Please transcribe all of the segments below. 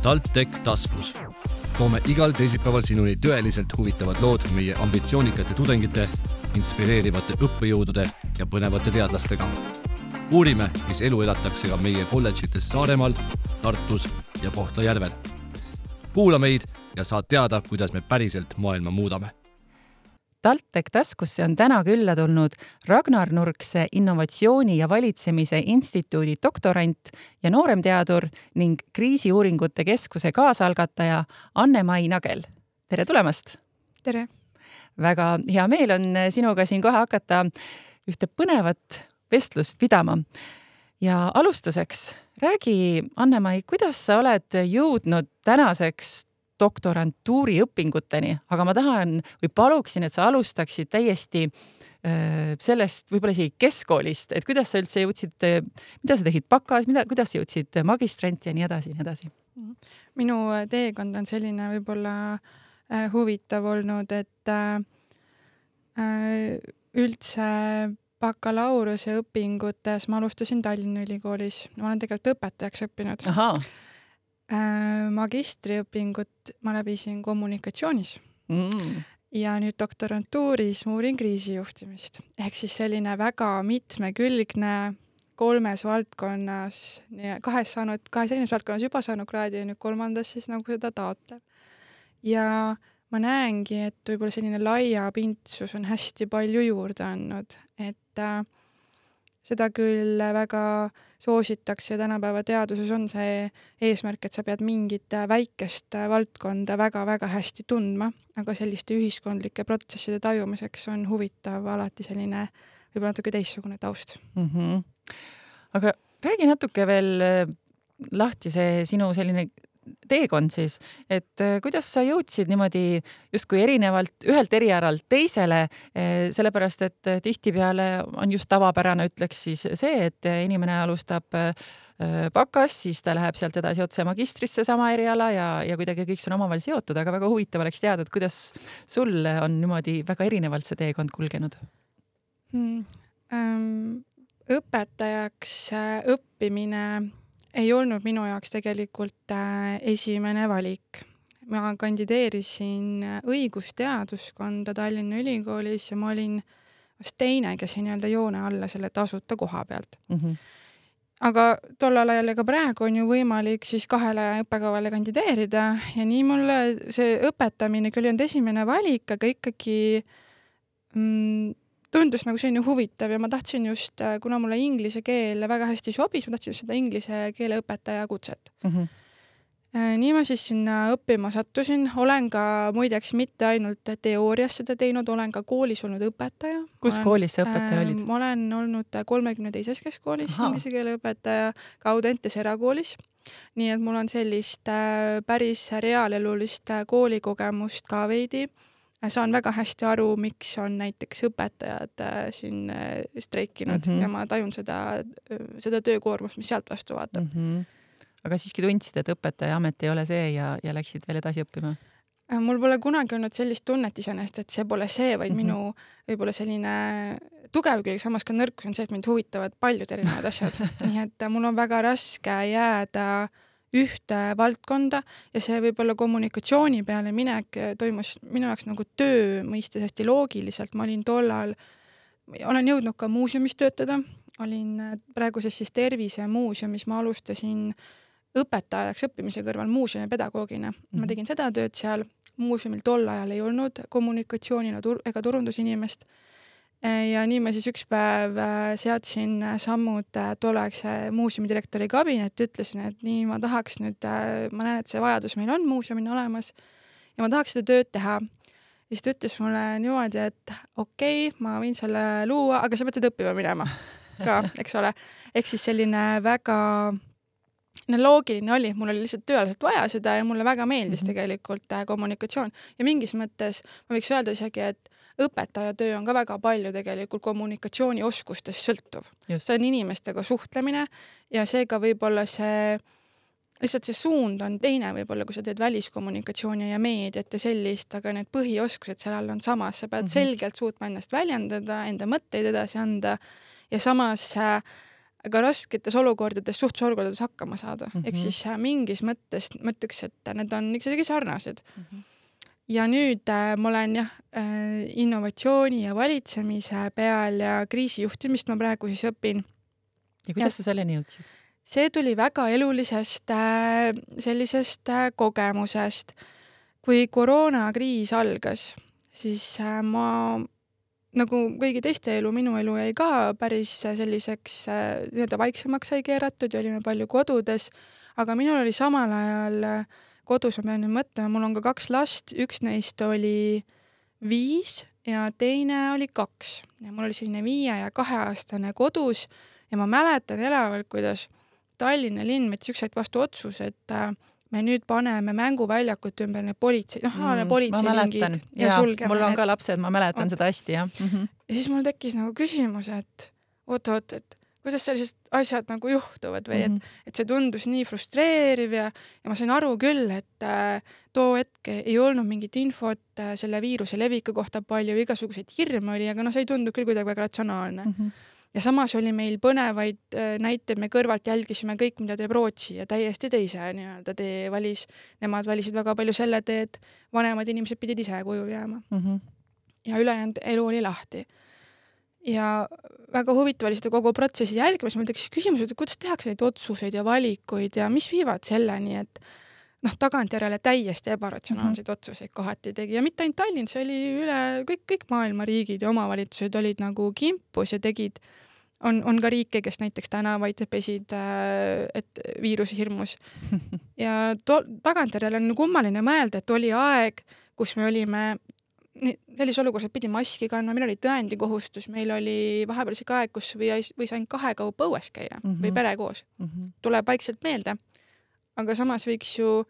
TalTech taskus. Toome igal teisipäeval sinuni tõeliselt huvitavad lood meie ambitsioonikate tudengite, inspireerivate õppejõudude ja põnevate teadlastega. Uurime, mis elu elatakse ka meie kolledžites Saaremaal, Tartus ja Kohtla-Järvel. Kuula meid ja saad teada, kuidas me päriselt maailma muudame. TalTech taskusse on täna külla tulnud Ragnar Nurkse innovatsiooni ja valitsemise instituudi doktorant ja nooremteadur ning kriisiuuringute keskuse kaasalgataja Anne-Mai Nagel. Tere tulemast! Tere! Väga hea meel on sinuga siin kohe hakata ühte põnevat vestlust pidama. Ja alustuseks räägi, Anne-Mai, kuidas sa oled jõudnud tänaseks doktorantuuri õpinguteni, aga ma tahan või paluksin, et sa alustaksid täiesti sellest võib-olla isegi keskkoolist, et kuidas sa üldse jõudsid, mida sa tegid bakas, kuidas jõudsid magistranti ja nii edasi. Minu teekond on selline võib-olla huvitav olnud, et üldse bakalaureuse õpingutes ma alustasin Tallinna Ülikoolis. Ma olen tegelikult õpetajaks õppinud. Ahaa. Magistriõpingut ma läbisin kommunikatsioonis ja nüüd doktorantuuris ma uurin kriisijuhtimist. Ehk siis selline väga mitmekülgne 3 valdkonnas, kahes erineves valdkonnas juba saanud kraadi ja nüüd 3. siis nagu seda taotleb. Ja ma näengi, et võib-olla selline laiapindsus on hästi palju juurde andnud, et seda küll väga soositakse ja tänapäeva teaduses on see eesmärk, et sa pead mingit väikest valdkonda väga-väga hästi tundma, aga selliste ühiskondlike protsesside tajumiseks on huvitav alati selline võib-olla natuke teistsugune taust. Aga räägi natuke veel lahti see sinu selline teekond siis, et kuidas sa jõudsid niimoodi justkui erinevalt ühelt erialalt teisele, sellepärast et tihtipeale on just tavapärane, ütleks siis see, et inimene alustab bakas, siis ta läheb sealt edasi otse magistrisse sama eriala ja kuidagi kõik on omavahel seotud, aga väga huvitav oleks teada, et kuidas sul on niimoodi väga erinevalt see teekond kulgenud? Õpetajaks õppimine ei olnud minu jaoks tegelikult esimene valik. Ma kandideerisin õigusteaduskonda Tallinna Ülikoolis ja ma olin vast teine, kes ei nii-öelda joone alla selle tasuta koha pealt. Aga tollal ajal ka praegu on ju võimalik siis 2 õppekavale kandideerida ja nii mulle see õpetamine küll on esimene valik, aga ikkagi tundus nagu selline huvitav ja ma tahtsin just, kuna mulle inglise keel väga hästi sobis, ma tahtsin just seda inglise keele õpetaja kutset. Nii ma siis sinna õppima sattusin. Olen ka muideks mitte ainult teoorias seda teinud, olen ka koolis olnud õpetaja. Kus koolis sa õpetaja olid? Ma olen olnud 32. keskkoolis inglise keele õpetaja, ka Audentes erakoolis. Nii et mul on sellist päris reaalelulist koolikogemust ka veidi. Saan väga hästi aru, miks on näiteks õpetajad siin streikinud ja ma tajun seda töökoormust, mis sealt vastu vaatab. Aga siiski tundsid, et õpetaja amet ei ole see ja läksid veel edasi õppima? Mul pole kunagi olnud sellist tunnet iseenesest, et see pole see, vaid minu võib-olla selline tugev külg, samas ka nõrkus on see, et mind huvitavad paljud erinevad asjad. Nii et mul on väga raske jääda ühte valdkonda ja see võib-olla kommunikatsiooni peale minek toimus minu jaoks nagu töö mõistes hästi loogiliselt. Ma olin tollal, olen jõudnud ka muuseumis töötada, olin praeguses siis tervisemuuseumis, ma alustasin õpetajaks õppimise kõrval muuseumi-pedagoogina. Ma tegin seda tööd seal, muuseumil tol ajal ei olnud kommunikatsiooni ega turundusinimest. Ja nii ma siis üks päev seadsin sammud tolleaegse muuseumidirektori kabinetti, ütlesin, et nii ma tahaks nüüd, ma näen, et see vajadus meil on muuseumina olemas ja ma tahaks seda tööd teha. Ja siis ta ütles mulle niimoodi, et okei, ma võin selle luua, aga sa pead seda õppima minema ka, eks ole. Ehk siis selline väga loogiline oli, mul oli lihtsalt tööalaselt vaja seda ja mulle väga meeldis tegelikult kommunikatsioon. Ja mingis mõttes ma võiks öelda isegi, et õpetaja töö on ka väga palju tegelikult kommunikatsioonioskustest sõltuv. See on inimestega suhtlemine ja seega võib-olla lihtsalt see suund on teine võib-olla, kui sa teed väliskommunikatsiooni ja meediat ja sellist, aga need põhioskused seal all on samas. Sa pead selgelt suutma ennast väljendada, enda mõtteid edasi anda ja samas aga rasketes olukordades, suhtlusolukordades hakkama saada. Ehk siis mingis mõttes mõtleks, et need on ikkagi sarnased. Ja nüüd ma olen innovatsiooni ja valitsemise peal ja kriisijuhtimist ma praegu siis õpin. Ja kuidas sa selleni jõudsid? See tuli väga elulisest sellisest kogemusest. Kui koroonakriis algas, siis ma nagu kõigi teiste elu, minu elu jäi ka päris selliseks vaiksemaks sai keeratud ja olime palju kodudes, aga minul oli samal ajal kodus, ma pean nüüd mõtlema, mul on ka 2 last, üks neist oli 5 ja teine oli 2. Ja mul oli selline 5 ja 2-aastane kodus ja ma mäletan elavalt, kuidas Tallinna linn võttis ükskord vastu otsus, et me nüüd paneme mänguväljakut ümber need politseilingid ja sulgeme mul on need. ka lapsed, ma mäletan seda hästi, jah. Ja siis mul tekkis nagu küsimus, et oot, et kuidas sellised asjad nagu juhtuvad või et see tundus nii frustreeriv ja ma sain aru küll, et too hetk ei olnud mingit infot selle viiruse leviku kohta palju, igasuguseid hirme oli, aga see ei tundu küll kuidagi väga ratsionaalne. Ja samas oli meil põnevaid näiteid, me kõrvalt jälgisime kõik, mida teeb Rootsi ja täiesti teise nii-öelda tee valis. Nemad valisid väga palju selle tee, et vanemad inimesed pidid ise koju jääma. Ja ülejäänud elu oli lahti. Ja väga huvitav oli seda kogu protsessi jälgimas. Mul tekkis küsimus, et kuidas tehakse neid otsuseid ja valikuid ja mis viivad selleni, et tagantjärele täiesti ebaratsionaalseid otsuseid kohati tegi. Ja mitte ainult Tallinn, see oli üle kõik maailma riigid ja omavalitsused olid nagu kimpus ja tegid. On ka riike, kes näiteks tänavaid pesid, et viiruse hirmus. Ja tagantjärele on kummaline mõelda, et oli aeg, kus me olime sellise olukorras, et pidi maski kandma, meil oli tõendikohustus, meil oli vahepeal isegi aeg, kus võis ainult 2 kaupa õues käia või pere koos. Tuleb vaikselt meelde. Aga samas võiks ju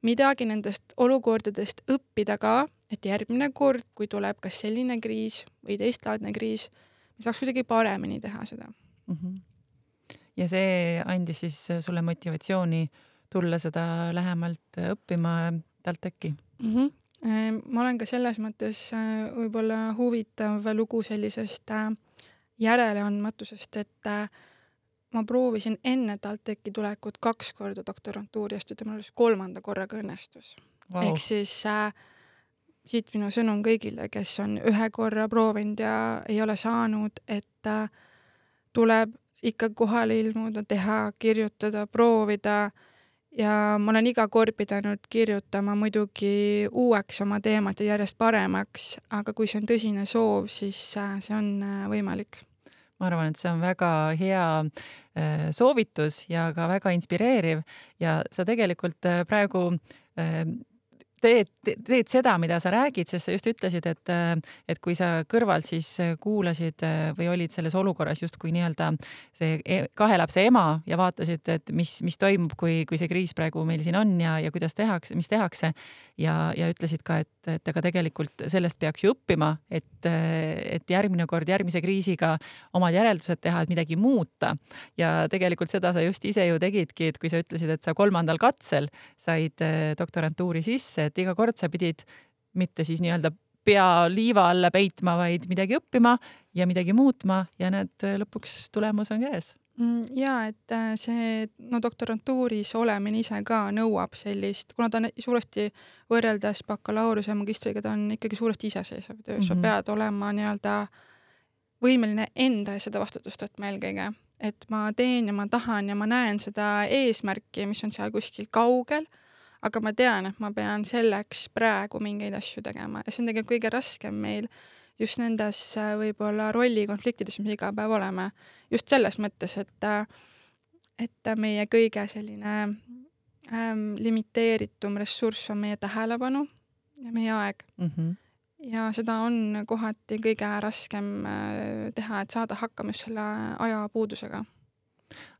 midagi nendest olukordadest õppida ka, et järgmine kord, kui tuleb kas selline kriis või teistlaadne kriis, me saaks kuidagi paremini teha seda. Ja see andis siis sulle motivatsiooni tulla seda lähemalt õppima talt äkki? Ma olen ka selles mõttes võib-olla huvitav lugu sellisest järeleandmatusest, et ma proovisin enne TalTechi tulekut 2 korda doktorantuuri astuda, mul 3. korraga õnnestus. Wow. Ehk siis siit minu sõnum kõigile, kes on 1 korra proovinud ja ei ole saanud, et tuleb ikka kohale ilmuda, teha, kirjutada, proovida ja ma olen iga kord pidanud kirjutama muidugi uueks oma teemat ja järjest paremaks, aga kui see on tõsine soov, siis see on võimalik. Ma arvan, et see on väga hea soovitus ja ka väga inspireeriv ja sa tegelikult praegu teed seda, mida sa räägid, sest sa just ütlesid, et kui sa kõrvalt siis kuulasid või olid selles olukorras justkui nii-öelda see 2 lapse ema ja vaatasid, et mis toimub, kui see kriis praegu meil siin on ja kuidas tehakse, mis tehakse ja ütlesid ka, et aga tegelikult sellest peaks ju õppima, et järgmine kord järgmise kriisiga omad järeldused teha, et midagi muuta. Ja tegelikult seda sa just ise ju tegidki, et kui sa ütlesid, et sa 3. katsel said doktorantuuri sisse, et iga kord sa pidid mitte siis nii-öelda pea liiva alla peitma, vaid midagi õppima ja midagi muutma ja need lõpuks tulemus on käes. Ja, et see doktorantuuris olemine ise ka nõuab sellist, kuna ta on suuresti võrreldes bakalaureuse ja magistriga, ta on ikkagi suuresti iseseisev töö. Sa pead olema nii-öelda võimeline enda seda vastutust võtma eelkõige. Et ma teen ja ma tahan ja ma näen seda eesmärki, mis on seal kuskil kaugel, aga ma tean, et ma pean selleks praegu mingeid asju tegema ja see on tegelikult kõige raskem meil just nendes võib-olla rollikonfliktides, mis iga päev oleme. Just selles mõttes, et meie kõige selline limiteeritum ressurss on meie tähelepanu ja meie aeg. Ja seda on kohati kõige raskem teha, et saada hakkama just selle ajapuudusega.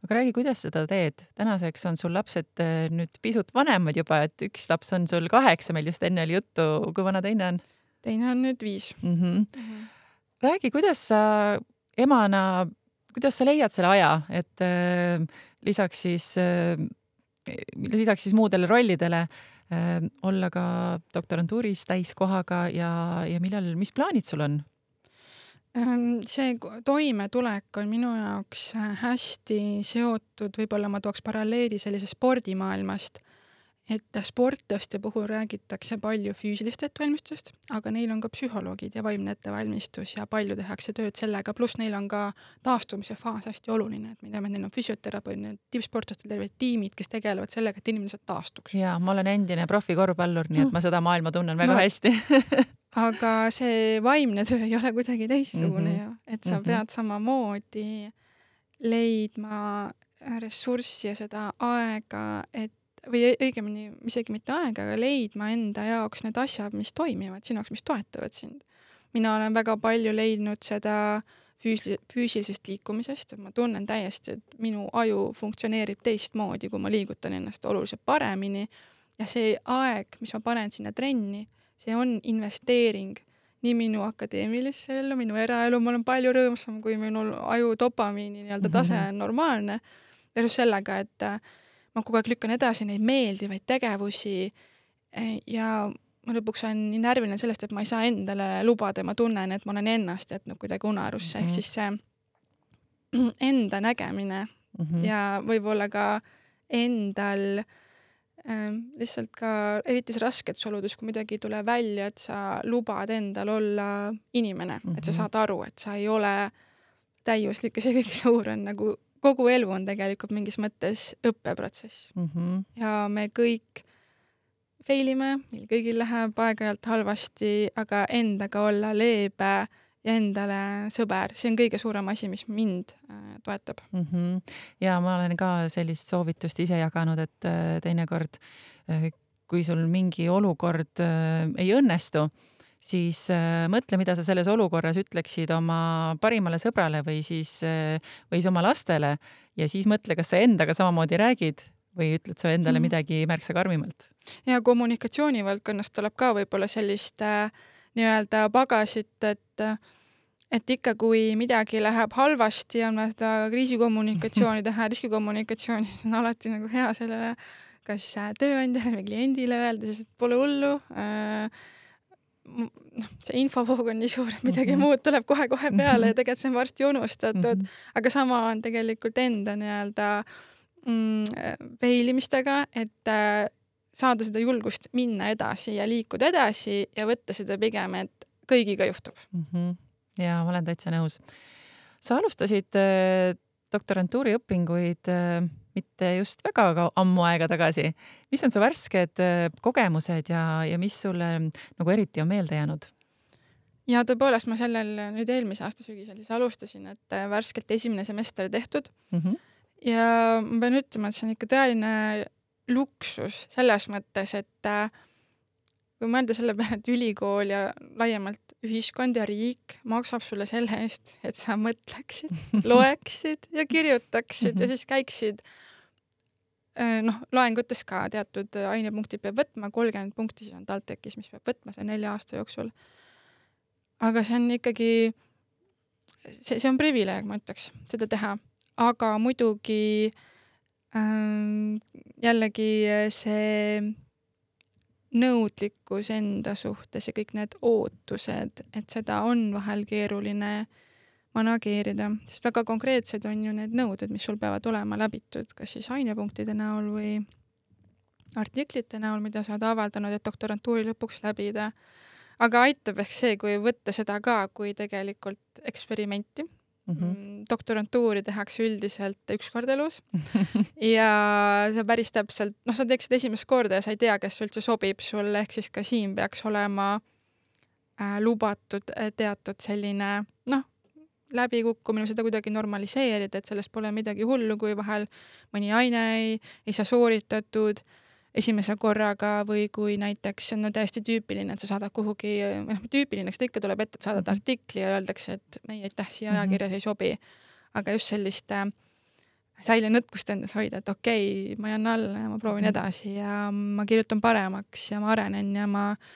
Aga räägi, kuidas seda teed? Tänaseks on sul lapsed nüüd pisut vanemad juba, et 1 laps on sul 8, meil just enne oli juttu, kui vana teine on? Teine on nüüd 5. Räägi, kuidas sa emana, kuidas sa leiad selle aja, et lisaks siis muudele rollidele olla ka doktorantuuris täiskohaga ja mis plaanid sul on? See toimetulek on minu jaoks hästi seotud, võib-olla ma tooks paralleeli sellise spordimaailmast, et sportlaste puhul räägitakse palju füüsilist ettevalmistust, aga neil on ka psühholoogid ja vaimne ettevalmistus ja palju tehakse tööd sellega, pluss neil on ka taastumise faas hästi oluline, et me teame, et neil on füsioterapeudid, tippsportlastel terved tiimid, kes tegelevad sellega, et inimesed taastuks. Ja ma olen endine profikorvpallur, nii et ma seda maailma tunnen väga hästi. Aga see vaimne töö ei ole kuidagi teistsugune ju, et sa pead samamoodi leidma ressurssi ja seda aega, et või õigemini isegi mitte aega, aga leidma enda jaoks need asjad, mis toimivad sinu jaoks, mis toetavad sind. Mina olen väga palju leidnud seda füüsilisest liikumisest, et ma tunnen täiesti, et minu aju funktsioneerib teistmoodi, kui ma liigutan ennast oluliselt paremini ja see aeg, mis ma panen sinna trenni, see on investeering nii minu akadeemilisse ellu, minu eraelu, ma olen palju rõõmsam, kui minu aju dopamiini tase on normaalne, versus sellega, et ma kogu aeg lükkan edasi neid meeldivaid tegevusi ja ma lõpuks olen nii närviline sellest, et ma ei saa endale lubada ja ma tunnen, et ma olen ennast jätnud kuidagi unarusse, ehk siis see enda nägemine ja võib-olla ka endal lihtsalt ka eritis rasketes oludes, kui midagi ei tule välja, et sa lubad endal olla inimene, et sa saad aru, et sa ei ole täiuslik ja see kõik suur on nagu kogu elu on tegelikult mingis mõttes õppeprotsess. Ja me kõik feilime, meil kõigil läheb aeg-ajalt halvasti, aga endaga olla leebe ja endale sõber, see on kõige suurem asi, mis mind toetab. Ja ma olen ka sellist soovitust ise jaganud, et teinekord, kui sul mingi olukord ei õnnestu, siis mõtle, mida sa selles olukorras ütleksid oma parimale sõbrale või siis oma lastele ja siis mõtle, kas sa endaga samamoodi räägid või ütled sa endale midagi märksa karmimalt. Ja kommunikatsiooni valdkonnast tuleb ka võib-olla sellist nii-öelda pagasit, et ikka kui midagi läheb halvasti ja on seda kriisikommunikatsiooni teha, riskikommunikatsiooni on alati nagu hea sellele kas tööandjale või kliendile öelda, sest pole hullu, see infovoog on nii suur, et midagi muud tuleb kohe-kohe peale ja tegelikult see on varsti unustatud, aga sama on tegelikult enda nii-öelda peilimistega, et saada seda julgust minna edasi ja liikuda edasi ja võtta seda pigem, et kõigiga juhtub. Ja ma olen täitsa nõus. Sa alustasid doktorantuuri õpinguid mitte just väga ammu aega tagasi. Mis on su värsked kogemused ja mis sulle nagu eriti on meelde jäänud? Ja tõepoolest ma sellel nüüd eelmise aasta sügisel siis alustasin, et värskelt esimene semester tehtud. Ja ma pean ütlema, et see on ikka tõeline luksus selles mõttes, et kui mõelda selle peale, et ülikool ja laiemalt ühiskond ja riik maksab sulle selle eest, et sa mõtleksid, loeksid ja kirjutaksid ja siis käiksid loengutes ka teatud ainepunktid peab võtma, 30 punkti siis on TalTechis, mis peab võtma see 4 aasta jooksul. Aga see on ikkagi, see on privileeg, ma ütleks, seda teha. Aga muidugi jällegi see nõudlikkus enda suhtes ja kõik need ootused, et seda on vahel keeruline manageerida, sest väga konkreetsed on ju need nõuded, mis sul peavad olema läbitud, kas siis ainepunktide näol või artiklite näol, mida sa oled avaldanud, et doktorantuuri lõpuks läbida. Aga aitab ehk see, kui võtta seda ka kui tegelikult eksperimenti. Doktorantuuri tehakse üldiselt 1 kord elus ja sa päris täpselt, sa teeksid esimest korda ja sa ei tea, kes üldse sobib sulle, ehk siis ka siin peaks olema lubatud teatud selline, läbikukkumine, seda kuidagi normaliseerida, et sellest pole midagi hullu, kui vahel mõni aine ei saa sooritatud esimese korraga või kui näiteks on täiesti tüüpiline, et sa saadad kuhugi, tüüpiline, eks ta ikka tuleb ette, et saadad artikli ja öeldakse, et ei, aitäh, siia ajakirjas ei sobi. Aga just sellist säilenõtkust endas hoida, et okei, ma jään alla ja ma proovin edasi ja ma kirjutan paremaks ja ma arenen ja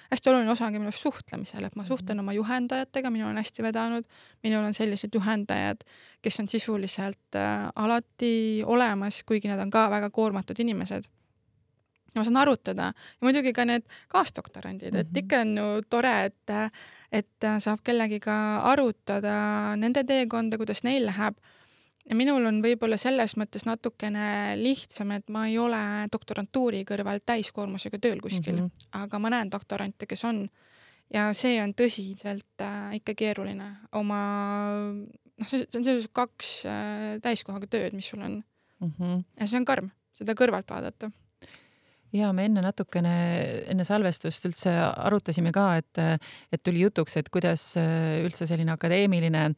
hästi oluline osa ongi minust suhtlemisel, et ma suhtlen oma juhendajatega, minul on hästi vedanud, minul on sellised juhendajad, kes on sisuliselt alati olemas, kuigi nad on ka väga koormatud inimesed. ma saan arutada ja muidugi ka need kaasdoktorandid, et ikka on ju tore, et saab kellegiga arutada nende teekonda, kuidas neil läheb. Ja minul on võib-olla selles mõttes natukene lihtsam, et ma ei ole doktorantuuri kõrval täiskoormusega tööl kuskil, aga ma näen doktorante, kes on. Ja see on tõsiselt ikka keeruline oma, see on sellised 2 täiskohaga tööd, mis sul on. Ja see on karm, seda kõrvalt vaadata. Ja me enne salvestust üldse arutasime ka, et tuli jutuks, et kuidas üldse selline akadeemiline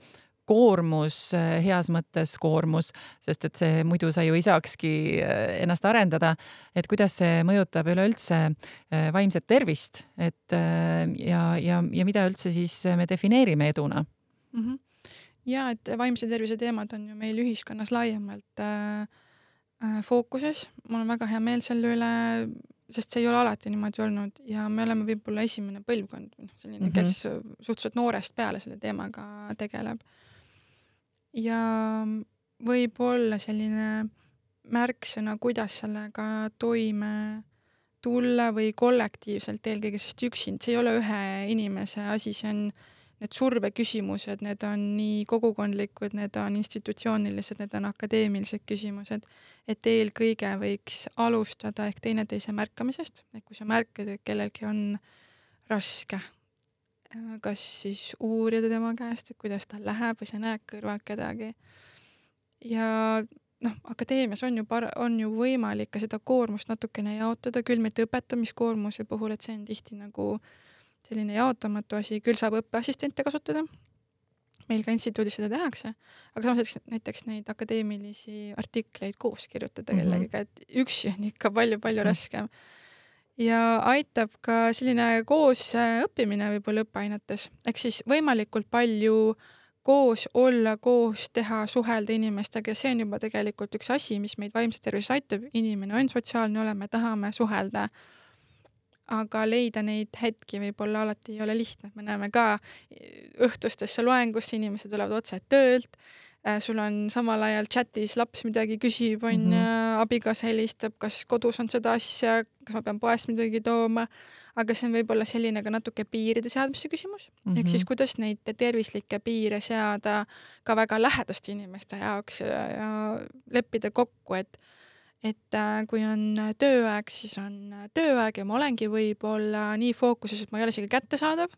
koormus, heas mõttes koormus, sest et see muidu sa ju ei saakski ennast arendada, et kuidas see mõjutab üleüldse vaimset tervist, et ja mida üldse siis me defineerime eduna? Ja, et vaimse tervise teemad on ju meil ühiskonnas laiemalt fookuses. Mul on väga hea meel selle üle, sest see ei ole alati niimoodi olnud ja me oleme võib-olla esimene põlvkond, selline, kes suhteliselt noorest peale selle teemaga tegeleb. Ja võib-olla selline märksõna, kuidas sellega toime tulla või kollektiivselt eelkõige, sest üksinda, see ei ole ühe inimese asi, see on need surveküsimused, need on nii kogukondlikud, need on institutsioonilised, need on akadeemilised küsimused, et eelkõige võiks alustada ehk teineteise märkamisest, et kui sa märkad, et kellelgi on raske, kas siis uurida tema käest, et kuidas ta läheb või sa näed kõrvalt kedagi. Ja akadeemias on ju võimalik ka seda koormust natukene jaotada, küll mitte õpetamiskoormuse puhul, et see on tihti nagu selline jaotamatu asi, küll saab õppeassistente kasutada. Meil ka instituudis seda tehakse, aga samas näiteks neid akadeemilisi artikleid koos kirjutada kellegiga, et üksi on ikka palju raskem. Ja aitab ka selline koos õppimine võib-olla õppeainetes. Ehk siis võimalikult palju koos olla, koos teha, suhelda inimestega. See on juba tegelikult üks asi, mis meid vaimse tervise aitab. Inimene on sotsiaalne olema, tahame suhelda. Aga leida neid hetki võib-olla alati ei ole lihtne. Me näeme ka õhtustesse loengusse, inimesed tulevad otse töölt. Sul on samal ajal chatis laps midagi küsib, abikaasa helistab, kas kodus on seda asja, kas ma pean poest midagi tooma, aga see on võib-olla selline ka natuke piiride seadmise küsimus. Ehk siis kuidas neid tervislikke piire seada ka väga lähedaste inimeste jaoks ja leppida kokku, et kui on tööaeg, siis on tööaeg ja ma olengi võib-olla nii fookuses, et ma ei ole isegi kättesaadav,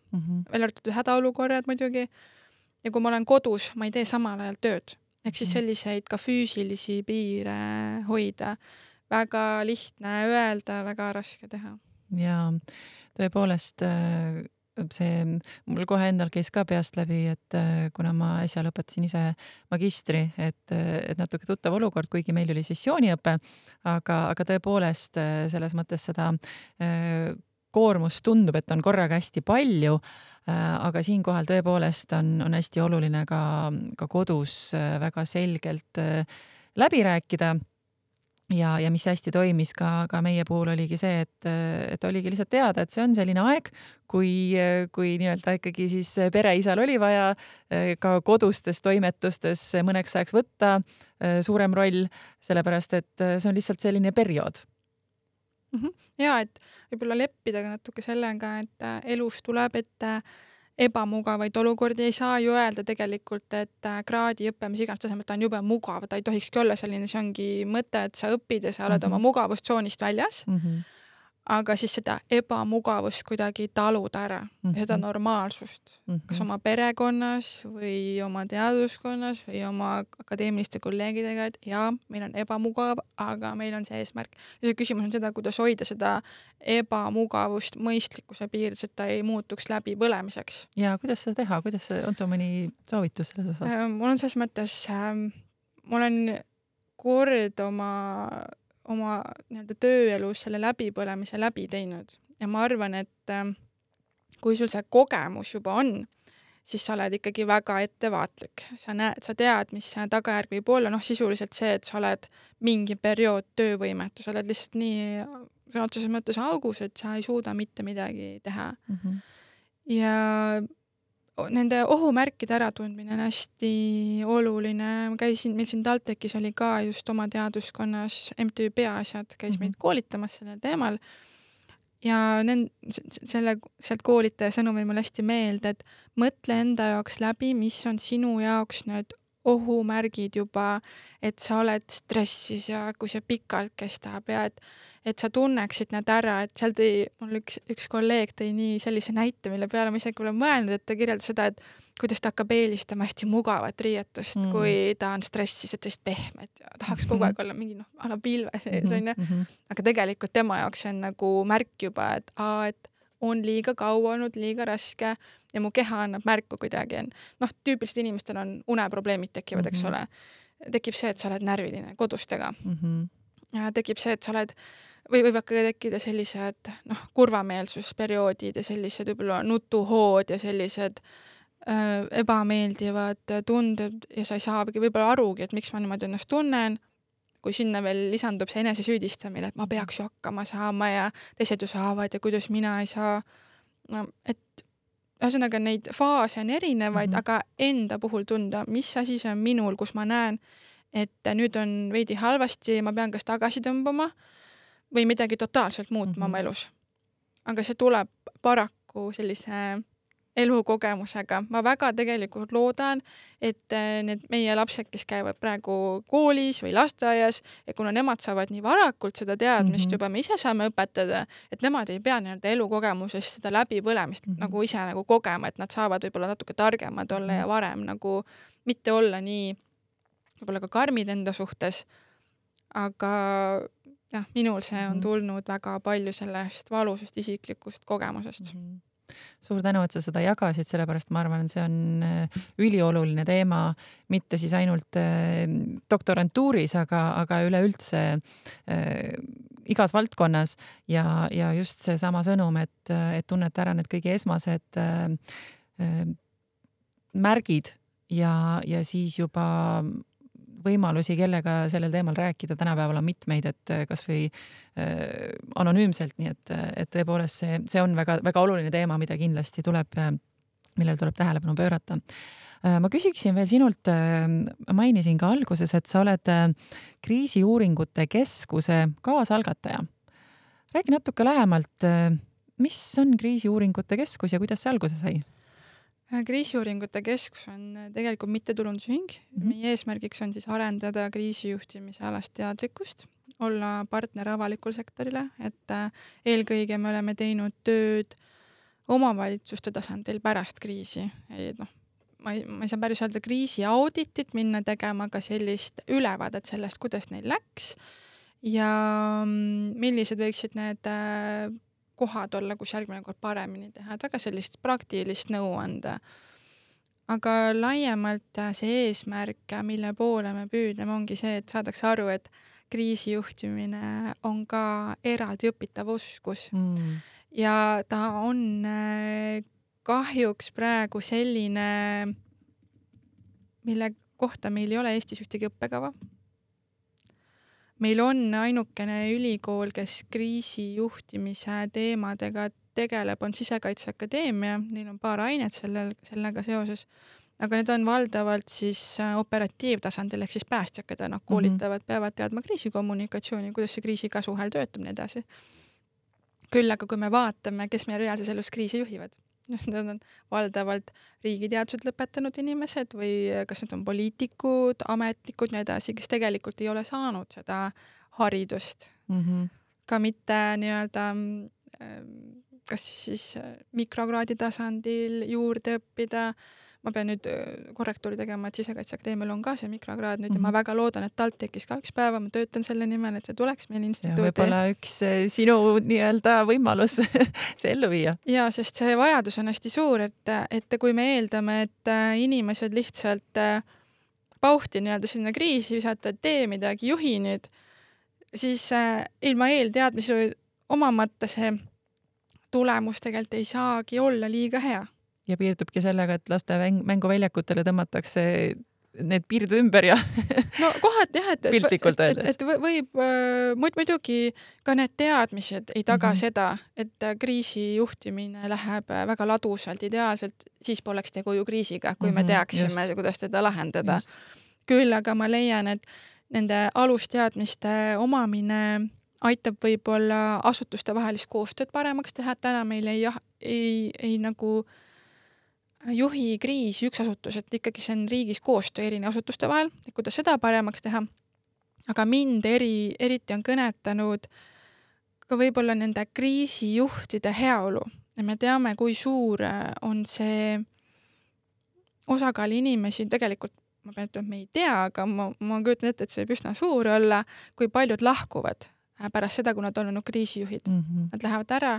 veel arvatud hädaolukorrad muidugi. Ja kui ma olen kodus, ma ei tee samal ajal tööd. Ehk siis selliseid ka füüsilisi piire hoida. Väga lihtne öelda, väga raske teha. Ja tõepoolest see mul kohe endal käis ka peast läbi, et kuna ma äsja lõpetasin ise magistri, et natuke tuttav olukord, kuigi meil oli sessiooniõpe, aga tõepoolest selles mõttes seda koormus tundub, et on korraga hästi palju, aga siinkohal tõepoolest on hästi oluline ka kodus väga selgelt läbi rääkida. Ja mis hästi toimis ka meie puhul oligi see, et oligi lihtsalt teada, et see on selline aeg, kui nii-öelda ikkagi siis pereisal oli vaja ka kodustes toimetustes mõneks ajaks võtta suurem roll, sellepärast et see on lihtsalt selline periood. Ja, et võib-olla leppida natuke sellega, et elus tuleb, et ebamugavaid olukordi ei saa ju öelda tegelikult, et kraadiõppe, mis iganes tasemel, ta on jube mugav, ta ei tohikski olla selline, see ongi mõte, et sa õpid ja sa oled oma mugavustsoonist väljas, aga siis seda ebamugavust kuidagi taluda ära, seda normaalsust, kas oma perekonnas või oma teaduskonnas või oma akadeemiliste kolleegidega, et jaa, meil on ebamugav, aga meil on see eesmärk. Ja see küsimus on seda, kuidas hoida seda ebamugavust mõistlikkuse piirides, et ta ei muutuks läbi põlemiseks. Ja kuidas seda teha? On sul mõni soovitus selles osas? Mul on selles mõttes, ma olen kord oma nii-öelda tööelus selle läbipõlemise läbi teinud ja ma arvan, et kui sul see kogemus juba on, siis sa oled ikkagi väga ettevaatlik. Sa tead, mis see tagajärg võib olla, sisuliselt see, et sa oled mingi periood töövõimetu, sa oled lihtsalt nii sõna otseses mõttes augus, et sa ei suuda mitte midagi teha. Ja nende ohumärkide äratundmine on hästi oluline. Ma käisin, meil siin TalTechis oli ka just oma teaduskonnas MTÜ Peaasjad, käis meid koolitamas sellel teemal ja sealt koolitaja sõnum jäi mulle hästi meelde, et mõtle enda jaoks läbi, mis on sinu jaoks need ohumärgid juba, et sa oled stressis ja kui see pikalt kestab ja et sa tunneksid need ära, et seal mul üks kolleeg tõi nii sellise näite, mille peale ma isegi pole mõelnud, et ta kirjeldas seda, et kuidas ta hakkab eelistama hästi mugavat riietust, kui ta on stressis, et tõesti pehmet ja tahaks kogu aeg olla mingi ala pilve sees, on ju. Aga tegelikult tema jaoks on nagu märk juba, et on liiga kaua olnud, liiga raske ja mu keha annab märku kuidagi. Tüüpiliselt inimestel on uneprobleemid tekivad, eks ole. Tekib see, et sa oled närviline kodustega. Ja tekib see, et sa oled või võib ka tekkida sellised kurvameelsusperioodid ja sellised võib-olla nutuhood ja sellised ebameeldivad tunded ja sa ei saagi võib-olla arugi, et miks ma niimoodi ennast tunnen, kui sinna veel lisandub see enesesüüdistamine, et ma peaks ju hakkama saama ja teised ju saavad ja kuidas mina ei saa. Et ühesõnaga neid faase on erinevaid, aga enda puhul tunda, mis asi see on minul, kus ma näen, et nüüd on veidi halvasti ja ma pean kas tagasi tõmbama või midagi totaalselt muutma oma elus. Aga see tuleb paraku sellise elukogemusega. Ma väga tegelikult loodan, et need meie lapsed, kes käivad praegu koolis või lasteaias, ja kuna nemad saavad nii varakult seda teadmist juba, me ise saame õpetada, et nemad ei pea elukogemusest seda läbipõlemist nagu ise nagu kogema, et nad saavad võib-olla natuke targemad olla ja varem nagu mitte olla nii võib-olla ka karmid enda suhtes, aga jah, minul see on tulnud väga palju sellest valusest isiklikust kogemusest. Suur tänu, et sa seda jagasid, sellepärast ma arvan, et see on ülioluline teema, mitte siis ainult doktorantuuris, aga üleüldse igas valdkonnas ja just see sama sõnum, et tunnete ära need kõige esmased märgid ja siis juba võimalusi, kellega sellel teemal rääkida. Tänapäeval on mitmeid, et kas või anonüümselt, nii et tõepoolest see on väga, väga oluline teema, mida kindlasti millel tuleb tähelepanu pöörata. Ma küsiksin veel sinult, mainisin ka alguses, et sa oled kriisiuuringute keskuse kaasalgataja. Räägi natuke lähemalt, mis on kriisiuuringute keskus ja kuidas see alguse sai? Kriisiuuringute keskus on tegelikult mittetulundusühing. Meie eesmärgiks on siis arendada kriisijuhtimise alast teadlikkust, olla partner avalikul sektorile, et eelkõige me oleme teinud tööd omavalitsuste tasandil pärast kriisi. Ma ei saa päris öelda kriisi auditit minna tegema, aga sellist ülevaadet sellest, kuidas neil läks ja millised võiksid need kohad olla, kus järgmine kord paremini teha, et väga sellist praktilist nõu anda. Aga laiemalt see eesmärk, mille poole me püüdleme, ongi see, et saadaks aru, et kriisijuhtimine on ka eraldi õpitav oskus. Ja ta on kahjuks praegu selline, mille kohta meil ei ole Eestis ühtegi õppekava. Meil on ainukene ülikool, kes kriisijuhtimise teemadega tegeleb, on Sisekaitseakadeemia, neil on paar ainet sellega seoses, aga need on valdavalt siis operatiivtasandil, ehk siis päästjad, keda nad koolitavad, peavad teadma kriisikommunikatsiooni, kuidas see kriisikasuhel töötab, nii edasi. Küll aga kui me vaatame, kes meie reaalses elus kriisi juhivad, need on valdavalt riigiteadused lõpetanud inimesed või kas need on poliitikud, ametnikud, nii edasi, kes tegelikult ei ole saanud seda haridust. Ka mitte nii-öelda kas siis mikrokraadi tasandil juurde õppida. Ma pean nüüd korrektuuri tegema, et Sisekaitseakadeemial on ka see mikrokraad nüüd ja ma väga loodan, et TalTechis ka üks päeva ma töötan selle nimel, et see tuleks meil instituuti. Ja võib-olla üks sinu nii-öelda võimalus see ellu viia. Ja, sest see vajadus on hästi suur, et kui me eeldame, et inimesed lihtsalt pauhti nii-öelda sinna kriisi visata, et tee midagi, juhi nüüd, siis ilma eelteadmisi omamata see tulemus tegelikult ei saagi olla liiga hea. Ja piirdubki sellega, et laste mänguväljakutele tõmmatakse need piirded ümber ja no kohati jah, piltlikult öeldes. Et võib muidugi ka need teadmised ei taga seda, et kriisi juhtimine läheb väga ladusalt, ideaalselt, siis poleks tegu ju kriisiga, kui me teaksime, kuidas teda lahendada. Küll aga ma leian, et nende alusteadmiste omamine aitab võib-olla asutuste vahelist koostööd paremaks teha, et täna meil ei nagu juhi kriisi üks asutus, et ikkagi see on riigis koostöö eri asutuste vahel, et kuidas seda paremaks teha. Aga mind eriti on kõnetanud ka võib-olla nende kriisijuhtide heaolu. Ja me teame, kui suur on see osakaal inimesi, tegelikult ma pean ütlema, et me ei tea, aga ma kujutan ette, et see võib üsna suur olla, kui paljud lahkuvad pärast seda, kui nad on olnud kriisijuhid. Nad lähevad ära,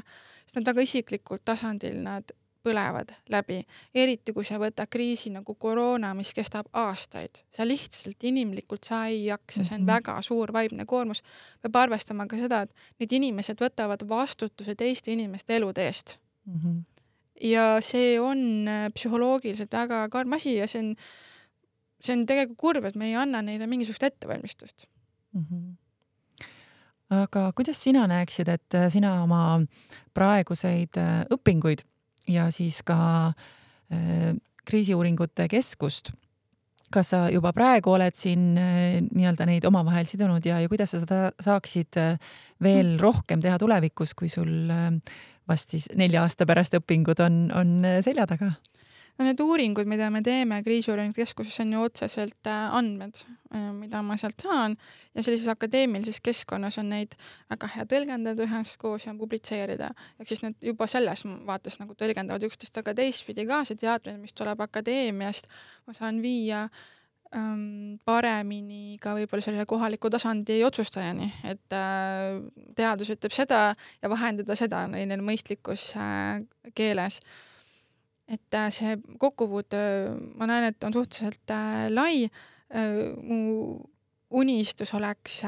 sest nad väga isiklikult tasandil nad põlevad läbi. Eriti, kui sa võtad kriisi nagu koroona, mis kestab aastaid. Sa lihtsalt inimlikult sa ei jaksa, see on väga suur vaimne koormus. Peab arvestama ka seda, et need inimesed võtavad vastutuse teiste inimeste elude eest. Ja see on psühholoogiliselt väga karm asi ja see on tegelikult kurb, et me ei anna neile mingisugust ettevalmistust. Aga kuidas sina näeksid, et sina oma praeguseid õpinguid ja siis ka kriisiuuringute keskust, kas sa juba praegu oled siin nii-öelda neid omavahel sidunud ja kuidas sa seda saaksid veel rohkem teha tulevikus, kui sul vast siis 4 aasta pärast õpingud on selja taga? No need uuringud, mida me teeme kriisiuuringute keskuses, on ju otseselt andmed, mida ma sealt saan ja sellises akadeemilises keskkonnas on neid väga hea tõlgendada üheskoos ja publitseerida. Ehk siis need juba selles vaates nagu tõlgendavad üksteist, aga teistpidi ka see teadmine, mis tuleb akadeemiast, ma saan viia paremini ka võib-olla selle kohaliku tasandi otsustajani, et teadus ütleb seda ja vahendada seda neile mõistlikus keeles. Et see kokkupuut, ma näen, et on suhteliselt lai. Mu unistus oleks,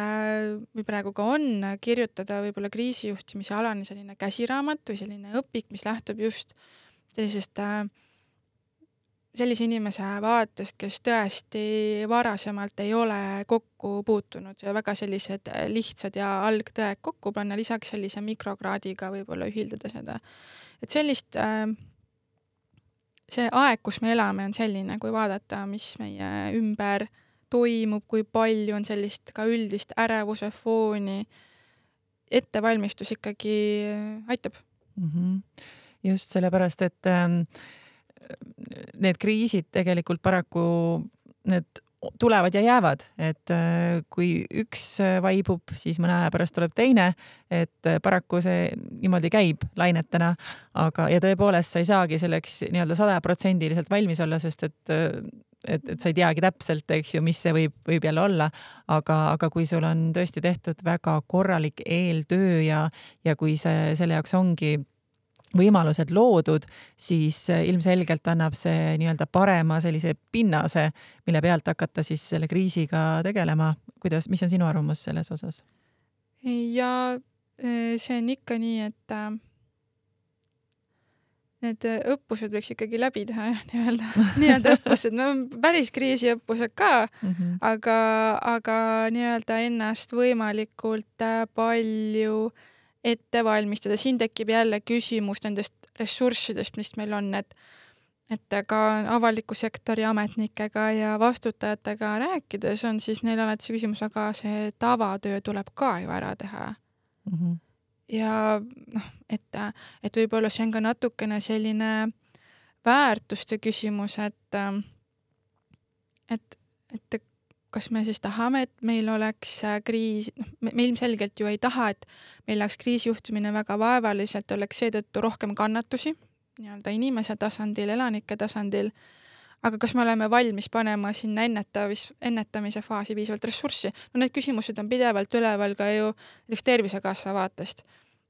või praegu ka on, kirjutada võib-olla kriisijuhtimise alane selline käsiraamat või selline õpik, mis lähtub just sellisest sellise inimese vaatest, kes tõesti varasemalt ei ole kokku puutunud ja väga sellised lihtsad ja algtõed kokku panna, lisaks sellise mikrokraadiga võib-olla ühildada seda. Et sellist see aeg, kus me elame, on selline, kui vaadata, mis meie ümber toimub, kui palju on sellist ka üldist ärevuse fooni, ettevalmistus ikkagi aitab. Just sellepärast, et need kriisid tegelikult paraku need tulevad ja jäävad, et kui üks vaibub, siis mõne aja pärast tuleb teine, et paraku see niimoodi käib lainetena, aga ja tõepoolest sa ei saagi selleks nii-öelda 100% valmis olla, sest et sa ei teagi täpselt, eks ju, mis see võib jälle olla, aga kui sul on tõesti tehtud väga korralik eeltöö ja kui selle jaoks ongi võimalused loodud, siis ilmselgelt annab see nii-öelda parema sellise pinnase, mille pealt hakata siis selle kriisiga tegelema. Mis on sinu arvamus selles osas? Ja see on ikka nii, et need õppused võiks ikkagi läbi teha, nii-öelda õppused, no päris kriisiõppused ka, aga nii-öelda ennast võimalikult palju ette valmistada. Siin tekib jälle küsimus nendest ressurssidest, mis meil on, et ka avaliku sektori ametnikega ja vastutajatega rääkides on siis neil alati see küsimus, aga see tavatöö tuleb ka ju ära teha. Ja et võib-olla see on ka natukene selline väärtuste küsimus, et kas me siis tahame, et meil oleks kriis, me ilmselgelt ju ei taha, et meil oleks kriisijuhtimine väga vaevaliselt, oleks seetõttu rohkem kannatusi, nii-öelda inimese tasandil, elanike tasandil, aga kas me oleme valmis panema sinna ennetamise faasi piisavalt ressurssi? No need küsimused on pidevalt üleval ka ju Tervisekassa vaatest.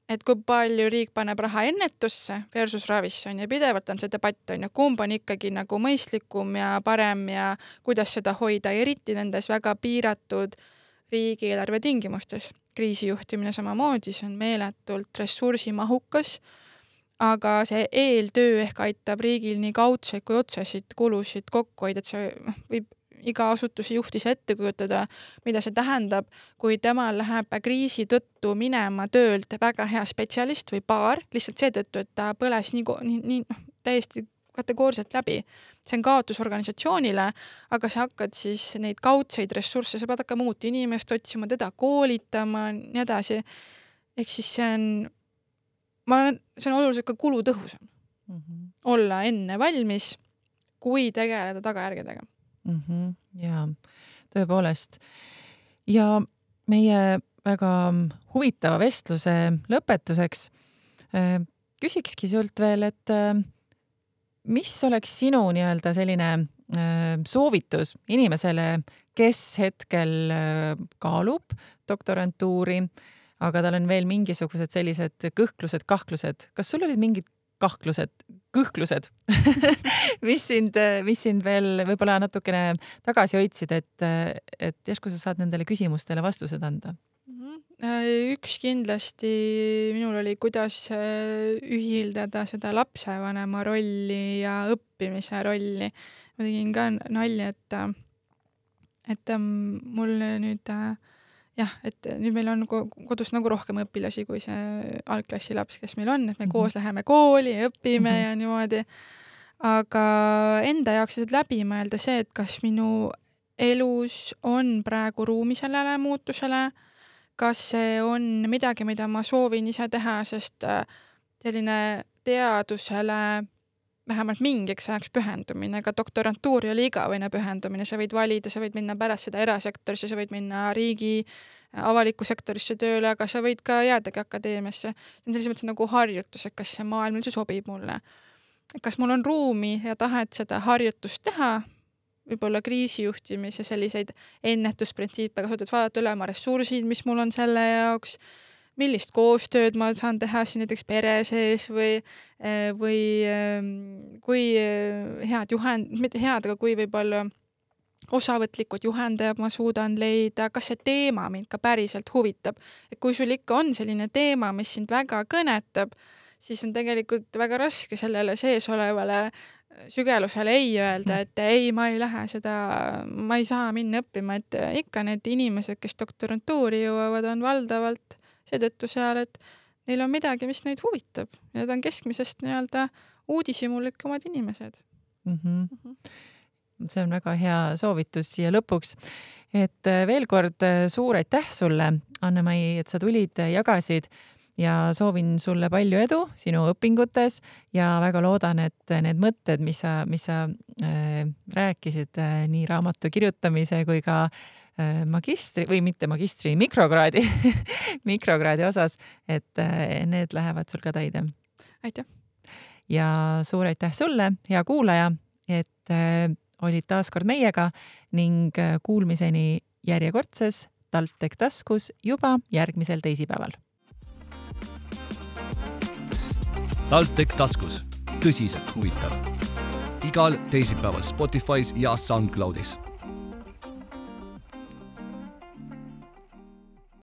Et kui palju riik paneb raha ennetusse versus ravisse on ja pidevalt on see debatt on ja kumb on ikkagi nagu mõistlikum ja parem ja kuidas seda hoida, eriti nendes väga piiratud riigieelarve tingimustes. Kriisijuhtimine samamoodi, see on meeletult ressursimahukas, aga see eeltöö ehk aitab riigil nii kaudseid kui otsesid kulusid kokku hoida, et see võib iga asutuse juht ise ette kujutada, mida see tähendab, kui temal läheb kriisi tõttu minema töölt väga hea spetsialist või paar, lihtsalt seetõttu, et ta põles nii täiesti kategooriliselt läbi. See on kaotus organisatsioonile, aga sa hakkad siis neid kaudseid ressursse, sa pead hakkama uut inimest otsima, teda koolitama, nii edasi. Ehk siis see on oluliselt ka kulutõhusam. Olla enne valmis, kui tegeleda tagajärgedega. Ja tõepoolest. Ja meie väga huvitava vestluse lõpetuseks küsikski sult veel, et mis oleks sinu nii-öelda selline soovitus inimesele, kes hetkel kaalub doktorantuuri, aga tal on veel mingisugused sellised kõhklused, kahklused. Kas sul olid mingid kõhklused, mis sind veel võib-olla natukene tagasi hoidsid, et järsku sa saad nendele küsimustele vastused anda? Üks kindlasti minul oli, kuidas ühildada seda lapsevanema rolli ja õppimise rolli. Ma tegin ka nalja, et mul nüüd et nüüd meil on kodus nagu rohkem õpilasi kui see algklassi laps, kes meil on, et me koos läheme kooli ja õpime ja niimoodi. Aga enda jaoks läbi mõelda see, et kas minu elus on praegu ruumi sellele muutusele, kas see on midagi, mida ma soovin ise teha, sest selline teadusele vähemalt mingiks ajaks pühendumine, ka doktorantuur oli igavõine pühendumine, sa võid valida, sa võid minna pärast seda erasektorisse, sa võid minna riigi avaliku sektorisse tööle, aga sa võid ka jäädagi akadeemiasse. See on selles mõttes nagu harjutus, et kas see maailm üldse sobib mulle. Kas mul on ruumi ja tahet seda harjutust teha, võib-olla kriisijuhtimise selliseid ennetusprintsiipe kasutades vaadata üle oma ressursid, mis mul on selle jaoks, millist koostööd ma saan teha siin näiteks pere sees või kui head mitte head, aga kui võib-olla osavõtlikud juhendajad ma suudan leida, kas see teema mind ka päriselt huvitab. Et kui sul ikka on selline teema, mis sind väga kõnetab, siis on tegelikult väga raske sellele sees olevale sügelusele ei öelda, et ei, ma ei lähe seda, ma ei saa minna õppima, et ikka need inimesed, kes doktorantuuri jõuavad, on valdavalt seetõttu seal, et neil on midagi, mis neid huvitab. Need on keskmisest nii-öelda uudishimulikumad inimesed. See on väga hea soovitus siia lõpuks. Et veel kord suur aitäh sulle, Anne-Mai, et sa tulid, jagasid ja soovin sulle palju edu sinu õpingutes ja väga loodan, et need mõtted, mis sa rääkisid nii raamatu kirjutamise kui ka magistri või mitte magistri, mikrokraadi osas, et need lähevad sul ka täide. Aitäh! Ja suur aitäh sulle, hea kuulaja, et olid taas kord meiega ning kuulmiseni järjekordses TalTech taskus juba järgmisel teisipäeval. TalTech taskus. Tõsiselt huvitav. Igal teisipäeval Spotify's ja SoundCloudis.